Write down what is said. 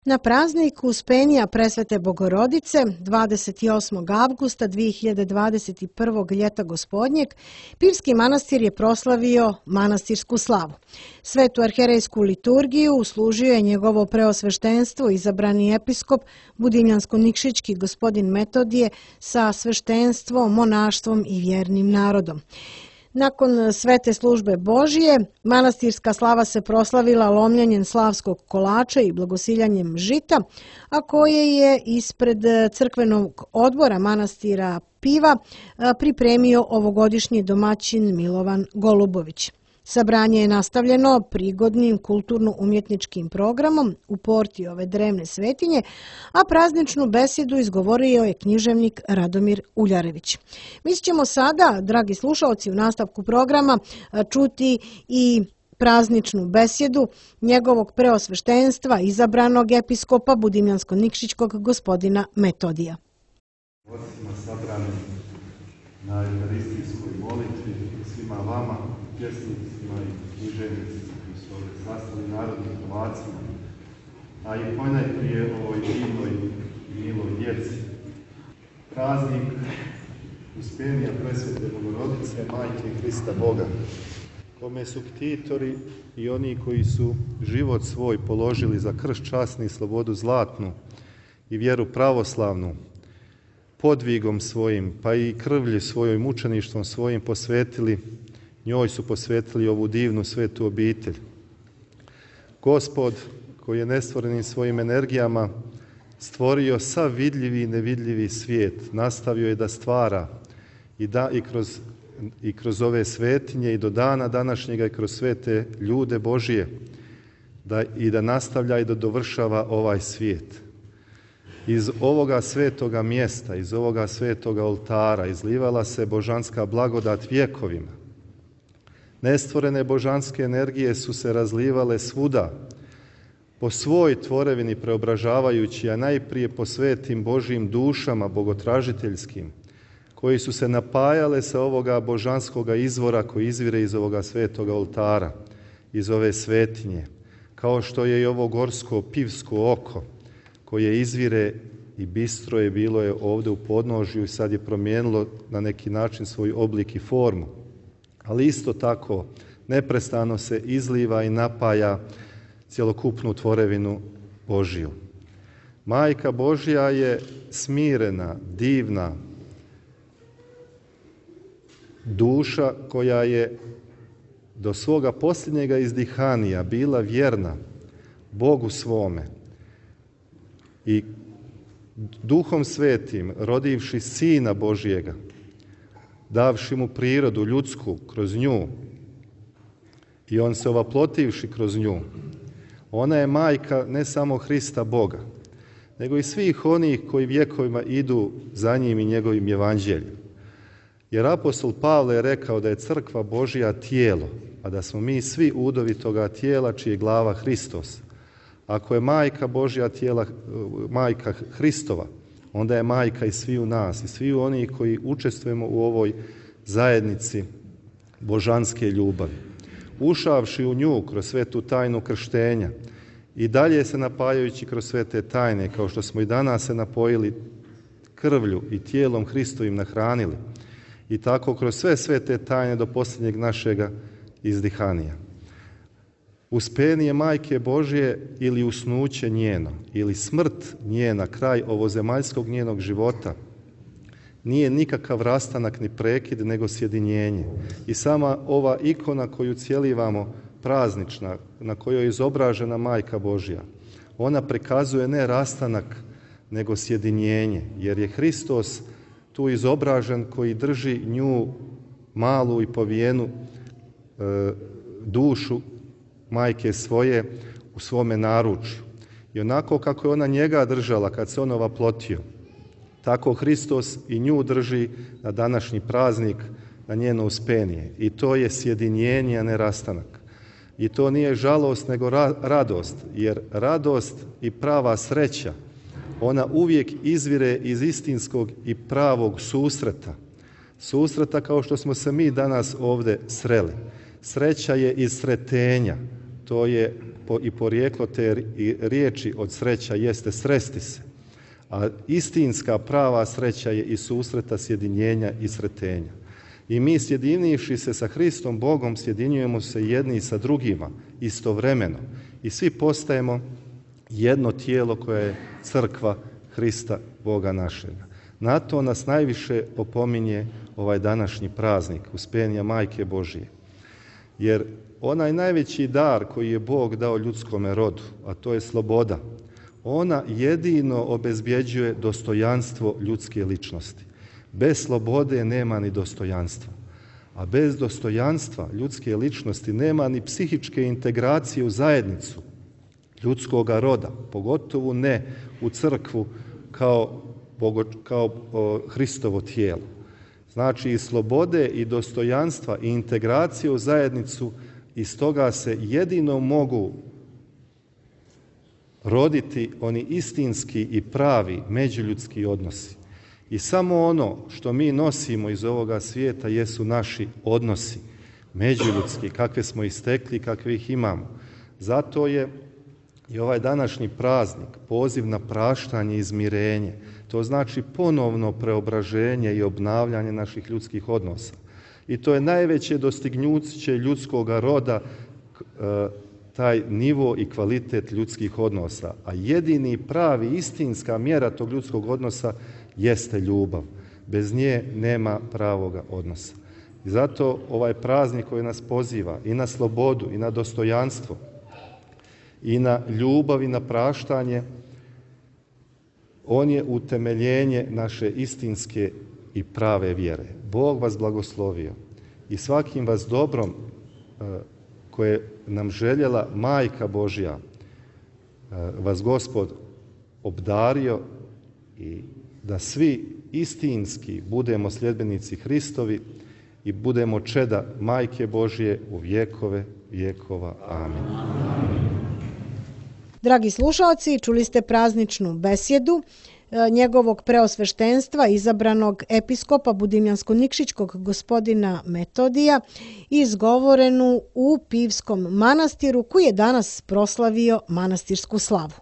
Na praznik Uspenija Presvete Bogorodice 28. avgusta 2021. ljeta gospodnjeg, Pirski manastir je proslavio manastirsku slavu. Svetu arherejsku liturgiju uslužio je njegovo preosveštenstvo, izabrani episkop Budimljansko-Nikšićki gospodin Metodije sa sveštenstvom, monaštvom i vjernim narodom. Nakon svete službe Božije, manastirska slava se proslavila lomljenjem slavskog kolača i blagosiljanjem žita, a koje je ispred crkvenog odbora manastira Piva pripremio ovogodišnji domaćin Milovan Golubović. Sabranje je nastavljeno prigodnim kulturno-umjetničkim programom u porti ove drevne svetinje, a prazničnu besjedu izgovorio je književnik Radomir Uljarević. Mi ćemo sada, dragi slušalci, u nastavku programa čuti i prazničnu besjedu njegovog preosveštenstva, izabranog episkopa Budimljansko-Nikšićkog gospodina Metodija. Osima sabrani na euharistijskoj molitvi svima vama, pjesnicima i književnicima koji su ovdje sastali narodnim Hrvacima, a i ponajprije ovoj divnoj i miloj djeci. Praznik Uspenija Presvete Bogorodice, Majke Hrista Boga, kome su ktitori i oni koji su život svoj položili za krst časni i slobodu zlatnu i vjeru pravoslavnu, podvigom svojim, pa i krvlju svojoj, mučeništvom svojim njoj su posvetili ovu divnu svetu obitelj. Gospod, koji je nestvorenim svojim energijama stvorio sav vidljivi i nevidljivi svijet, nastavio je da stvara i kroz ove svetinje i do dana današnjega i kroz sve te ljude Božije da nastavlja i da dovršava ovaj svijet. Iz ovoga svetoga mjesta, iz ovoga svetoga oltara izlivala se božanska blagodat vjekovima. Nestvorene božanske energije su se razlivale svuda, po svoj tvorevini preobražavajući, a najprije po svetim Božjim dušama bogotražiteljskim, koji su se napajale sa ovoga božanskoga izvora koji izvire iz ovoga svetoga oltara, iz ove svetinje, kao što je i ovo gorsko pivsko oko, koje izvire i bistro je bilo je ovdje u podnožju i sad je promijenilo na neki način svoj oblik i formu. Ali isto tako neprestano se izliva i napaja cjelokupnu tvorevinu Božju. Majka Božja je smirena, divna duša koja je do svoga posljednjega izdihanija bila vjerna Bogu svome i Duhom Svetim rodivši Sina Božjega, davši mu prirodu ljudsku kroz nju i on se ovaplotivši kroz nju, ona je majka ne samo Hrista Boga, nego i svih onih koji vjekovima idu za njim i njegovim evanđeljem. Jer apostol Pavle je rekao da je crkva Božja tijelo, a da smo mi svi udovi toga tijela čiji je glava Hristos. Ako je majka Božja tijela, majka Hristova, onda je majka i svi u nas, i svi oni koji učestvujemo u ovoj zajednici božanske ljubavi. Ušavši u nju kroz svetu tajnu krštenja i dalje se napajajući kroz sve te tajne, kao što smo i danas se napojili krvlju i tijelom Hristovim nahranili, i tako kroz sve te tajne do posljednjeg našega izdihanija. Uspenije Majke Božje ili usnuće njeno, ili smrt njena, kraj ovozemaljskog njenog života, nije nikakav rastanak ni prekid, nego sjedinjenje. I sama ova ikona koju cjelivamo, praznična, na kojoj je izobražena Majka Božja, ona prikazuje ne rastanak, nego sjedinjenje, jer je Hristos tu izobražen koji drži nju malu i povijenu dušu majke svoje u svome naručju. I onako kako je ona njega držala kad se on ovaplotio, tako Hristos i nju drži na današnji praznik, na njeno Uspenije. I to je sjedinjenje, a ne rastanak. I to nije žalost, nego radost, jer radost i prava sreća, ona uvijek izvire iz istinskog i pravog susreta. Susreta kao što smo se mi danas ovdje sreli. Sreća je iz sretenja, to je i porijeklo te riječi od sreća jeste sresti se. A istinska prava sreća je i susreta, sjedinjenja i sretenja. I mi sjedinivši se sa Hristom Bogom, sjedinjujemo se jedni sa drugima istovremeno. I svi postajemo jedno tijelo koje je crkva Hrista Boga našega. Na to nas najviše opominje ovaj današnji praznik Uspenija Majke Božije. Jer onaj najveći dar koji je Bog dao ljudskome rodu, a to je sloboda, ona jedino obezbjeđuje dostojanstvo ljudske ličnosti. Bez slobode nema ni dostojanstva. A bez dostojanstva ljudske ličnosti nema ni psihičke integracije u zajednicu ljudskoga roda, pogotovo ne u crkvu kao Hristovo tijelo. Znači i slobode i dostojanstva i integracije u zajednicu, iz toga se jedino mogu roditi oni istinski i pravi međuljudski odnosi. I samo ono što mi nosimo iz ovoga svijeta jesu naši odnosi međuljudski, kakve smo ih stekli, kakve ih imamo. Zato je i ovaj današnji praznik poziv na praštanje i izmirenje. To znači ponovno preobraženje i obnavljanje naših ljudskih odnosa. I to je najveće dostignuće ljudskoga roda, taj nivo i kvalitet ljudskih odnosa. A jedini pravi, istinska mjera tog ljudskog odnosa jeste ljubav. Bez nje nema pravoga odnosa. I zato ovaj praznik koji nas poziva i na slobodu i na dostojanstvo i na ljubav i na praštanje, on je utemeljenje naše istinske i prave vjere. Bog vas blagoslovio i svakim vas dobrom koje nam željela Majka Božja vas Gospod obdario i da svi istinski budemo sljedbenici Hristovi i budemo čeda Majke Božje u vjekove vjekova. Amin. Dragi slušalci, čuli ste prazničnu besjedu njegovog preosveštenstva, izabranog episkopa Budimljansko-Nikšićkog gospodina Metodija, izgovorenu u Pivskom manastiru, koji je danas proslavio manastirsku slavu.